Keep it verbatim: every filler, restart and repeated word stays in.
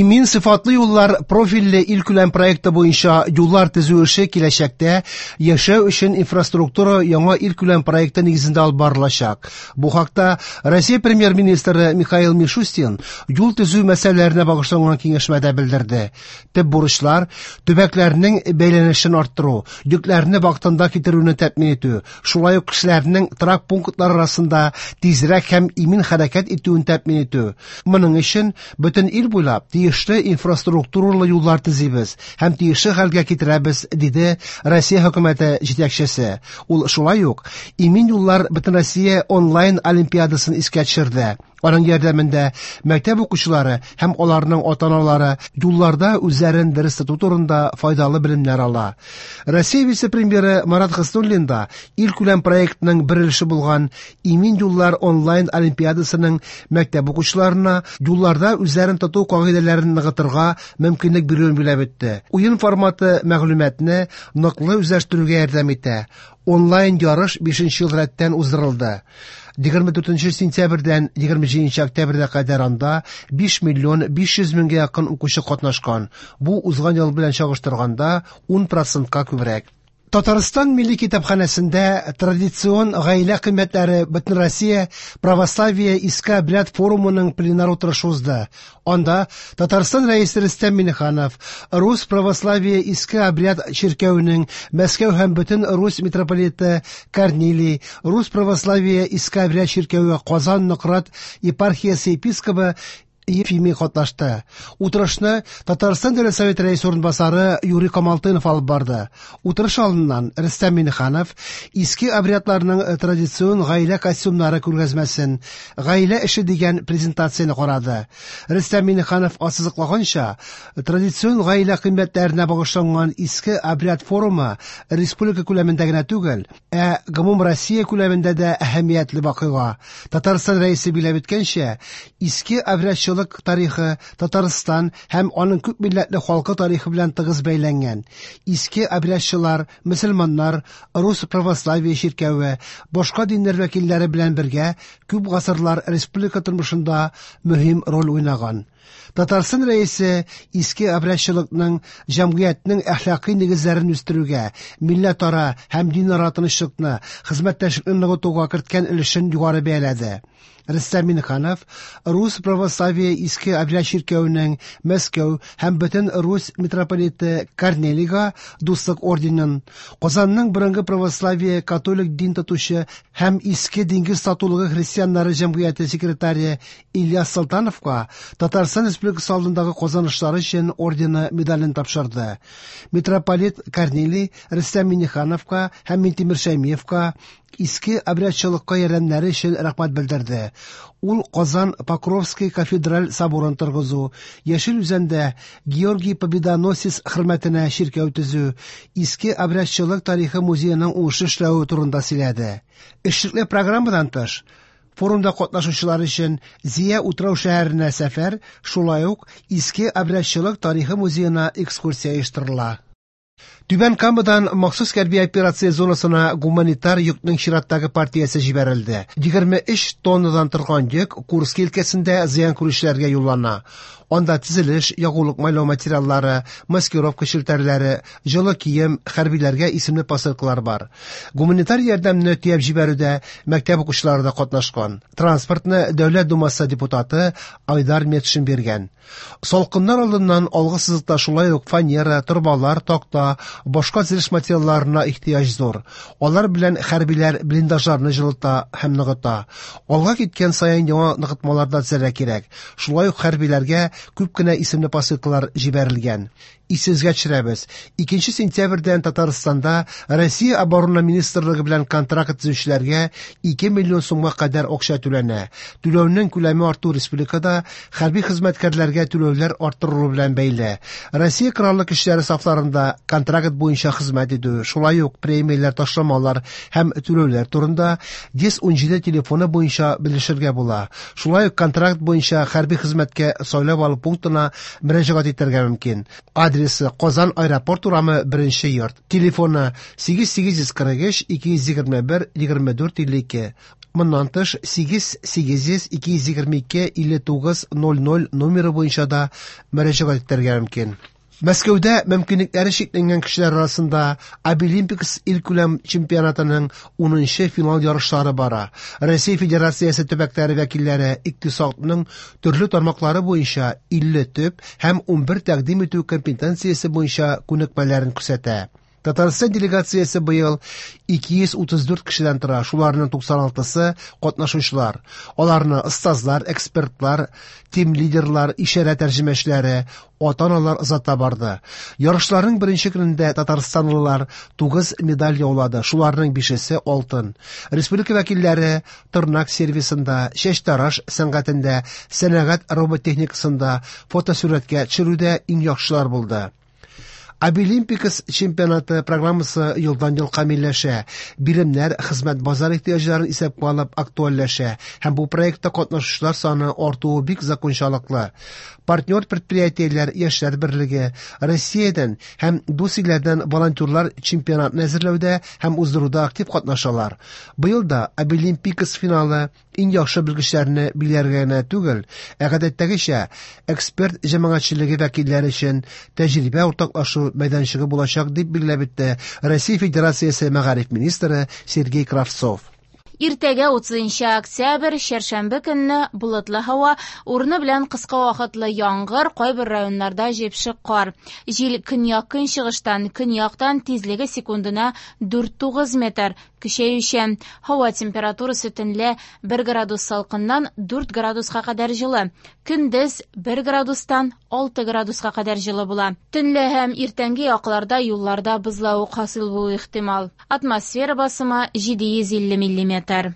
Имин сыйфатлы юллар профильле илкүләм проекты буенча юллар төзү эше киләчәктә яшәү өчен инфраструктура яңа илкүләм проекты нигезендә алып барылачак. Бу хакта Россия премьер-министры Михаил Мишустин юл төзү мәсьәләләренә багышланган киңәшмәдә белдерде. Төп бурычлар төбәкләрнең бәйләнешен арттыру, йөкләрне вакытында китерүне тәэмин итү, шулай ук кешеләрнең торак пунктлар арасында тизрәк һәм имин хәрәкәт итүен тәэмин итү. Моның өчен бөтен ил буйлап тиешле инфраструктуралы юллар төзибез һәм тиешле хәлгә китерәбез, диде Россия хөкүмәте җитәкчесе. Ул шулай ук Имин юллар Бөтенроссия онлайн олимпиадасын искә төшерде. Аның ярдәмендә мәктәп укучылары һәм аларның ата-аналары юлларда үзләрен дөрес тоту турында файдалы белемнәр ала. Россия вице-премьеры Марат Хуснуллин да илкүләм проектның бер өлеше булган Имин юллар онлайн олимпиадасының мәктәп укучыларына юлларда үзләрен тоту кагыйдәләрен ныгытырга мөмкинлек бирүен билгеләп үтте. Уен форматы мәгълүматны ныклы үзләштерүгә ярдәм итә. Онлайн ярыш бишенче ел рәттән уздырылды. егерме дүртенче сентябрьдән егерме җиденче октябрьгә кадәр анда биш миллион биш йөз меңгә якын укучы катнашкан. Бу узган ел белән чагыштырганда ун процентка күбрәк. Татарстан Милли китапханәсендә традицион гаилә кыйммәтләре Бөтенроссия православие иске обряд форумының пленар утырышы узды. Анда Татарстан рәисе Рөстәм Миңнеханов, Рус православие иске обряд чиркәвенең Мәскәү һәм бөтен Рус митрополиты Корнилий, Рус православие иске обряд чиркәве Казан Нократ епархиясе епископы Ефимий катнашты. Утырышны Татарстан Дәүләт Советы рәисе урынбасары Юрий Камалтынов алып барды. Утырыш алдыннан Рөстәм Миңнеханов иске обрядларның традицион гаилә костюмнары күргәзмәсен, гаилә эше дигән презентацияне карады. Рөстәм Миңнеханов ассызыклаганча, традицион гаилә кыйммәтләренә багышланган иске обряд форумы республика күләмендә генә түгел, ә гомум Россия күләмендә дә әһәмиятле вакыйга. Татарстан рәисе билгеләп үткәнчә, иске обрядчылык тарихы Татарстан һәм аның күп милләтле халкы тарихы белән тыгыз бәйләнгән. Иске обрядчылар, мөселманнар, рус православие чиркәве, башка диннәр вәкилләре белән бергә күп гасырлар республика тормышында мөһим роль уйнаган. Татарстан рәисе иске обрядчылыкның җәмгыятьнең әхлакый нигезләрен үстерүгә, милләтара һәм динара тынычлыкны, хезмәттәшлекне ныгытуга керткән өлешен югары бәяләде. Рөстәм Миңнеханов Рус православие иске обряд чиркәвенең Мәскәү һәм бөтен Рус митрополиты Корнелийга дуслык орденын, Казанның борынгы православие католик дин тотучы һәм иске диңгез татулыгы христианнары җәмгыяте секретаре Ильяс Солтановка Татарстан Республикасы алдындагы казанышлары өчен ордены медален тапшырды. Митрополит Корнелий Рөстәм Миңнехановка һәм Минтимер Шәймиевка иске обрядчылыкка ярдәмнәре өчен рәхмәт белдерде. Ул Казан Покровский кафедраль соборын торгызу, Яшел Үзәндә Георгий Победоносец хөрмәтенә чиркәү төзү, иске обрядчылык тарихы музееның уңышлы эшләве турында сөйләде. Эшлекле программадан тыш, форумда катнашучылар өчен Зия утрау шәһәренә сәфәр, шулай ук иске обрядчылык тарихы музеена экскурсия оештырыла. Түбән Камадан махсус хәрби операция зонасына гуманитар йөкнең чираттагы партиясе җибәрелде. Егерме өч тоннадан торган йөк Курск өлкәсендә зыян күрүчеләргә юллана. Анда төзелеш, ягулык майлау материаллары, маскировка челтәрләре, җылы кием, хәрбиләргә исемле посылкалар бар. Гуманитар ярдәмне төяп җибәрүдә мәктәп укучылары да катнашкан. Транспортны Дәүләт Думасы депутаты Айдар Метшин биргән. Салкыннар алдыннан алгы сызыкта шулай ук фанера, торбалар, такта, башка төзелеш материалларына ихтыяҗ зур. Алар белән хәрбиләр блиндажларны җылыта һәм ныгыта. Алга киткән саен яңа ныгытмалар да төзергә кирәк. Шулай ук хәрбиләргә күп кенә исемле посылкалар җибәрелгән. Исегезгә төшерәбез. Икенче сентябрьдән Татарстанда Россия Оборона Министрлыгы белән контракт төзүчеләргә ике миллион сумга кадәр акча түләнә. Түләүнең күләме арту республикада хәрби хезмәткәрләргә түләүләр арттырылу белән бәйле. Россия Кораллы Көчләре сафларында контракт контракт буенча хезмәт итү, шулай ук премияләр, ташламалар һәм түләүләр турында йөз ун җиде телефоны буенча белешергә була. Шулай ук контракт буенча хәрби хезмәткә сайлап алу пунктына мөрәҗәгать итәргә мөмкин. Адресы: Казан, Аэропорт урамы, беренче йорт. Телефоны: сигез сигез йөз кырык өч ике йөз егерме бер егерме дүрт илле ике. Моннан тыш сигез сигез йөз ике йөз егерме ике илле тугыз ноль ноль номеры буенча да мөрәҗәгать итәргә мөмкин. Мәскәүдә мөмкинлекләре чикләнгән кешеләр арасында Абилимпикс илкүләм чемпионатының унынчы финал ярышлары бара. Россия Федерациясе төбәкләре вәкилләре икътисадның төрле тармаклары буенча илле төп һәм унбер тәкъдим итү компетенциясе буенча күнекмәләрен күрсәтә. Татарстан делегациясе быел ике йөз утыз дүрт кешедән тора, шуларның туксан алтысы катнашучылар. Аларны остазлар, экспертлар, тим-лидерлар, ишарә тәрҗемәчеләре, ата-аналар озата барды. Ярышларның беренче көнендә татарстанлылар тугыз медаль яулады, шуларның бишесе алтын. Республика вәкилләре тырнак сервисында, чәчтараш сәнгатендә, сәнәгать роботехникасында, фотосурәткә төшерүдә иң яхшылар булды. Абилимпикс чемпионаты программасы елдан-ел камилләшә. Биремнәр хезмәт базар ихтыяҗларын исәпкә алып актуальләшә һәм бу проектта катнашучылар саны артуы бик закончалыклы. Партнер предприятиеләр, яшьләр берлеге, Россиядән һәм дус илләрдән волонтерлар чемпионатны әзерләүдә һәм уздыруда актив катнашалар. Быел да Абилимпикс финалы иң яхшы белгечләрне билгеләргә генә түгел, ә гадәттәгечә эксперт җәмәгатьчелеге вәкилләре өчен тәҗрибә уртаклашу мәйданчыгы булачак, дип билгеләп үтте Россия Федерациясе мәгариф министры Сергей Кравцов. Иртәгә, утызынчы октябрь, чәршәмбе көнне болытлы һава, урыны белән кыска вакытлы яңгыр, кайбер районнарда җепшек кар. Җил көньяк-көнчыгыштан, көньяктан, тизлеге секундына дүрт-тугыз метр, көчәючән. Һава температурасы төнлә бер градус салкыннан дүрт градуска кадәр җылы. Көндез бер градустан алты градуска кадәр җылы була. Төнлә һәм иртәнге якларда юлларда бозлавык хасил булу ихтимал. Атмосфера басымы җиде йөз илле миллиметр.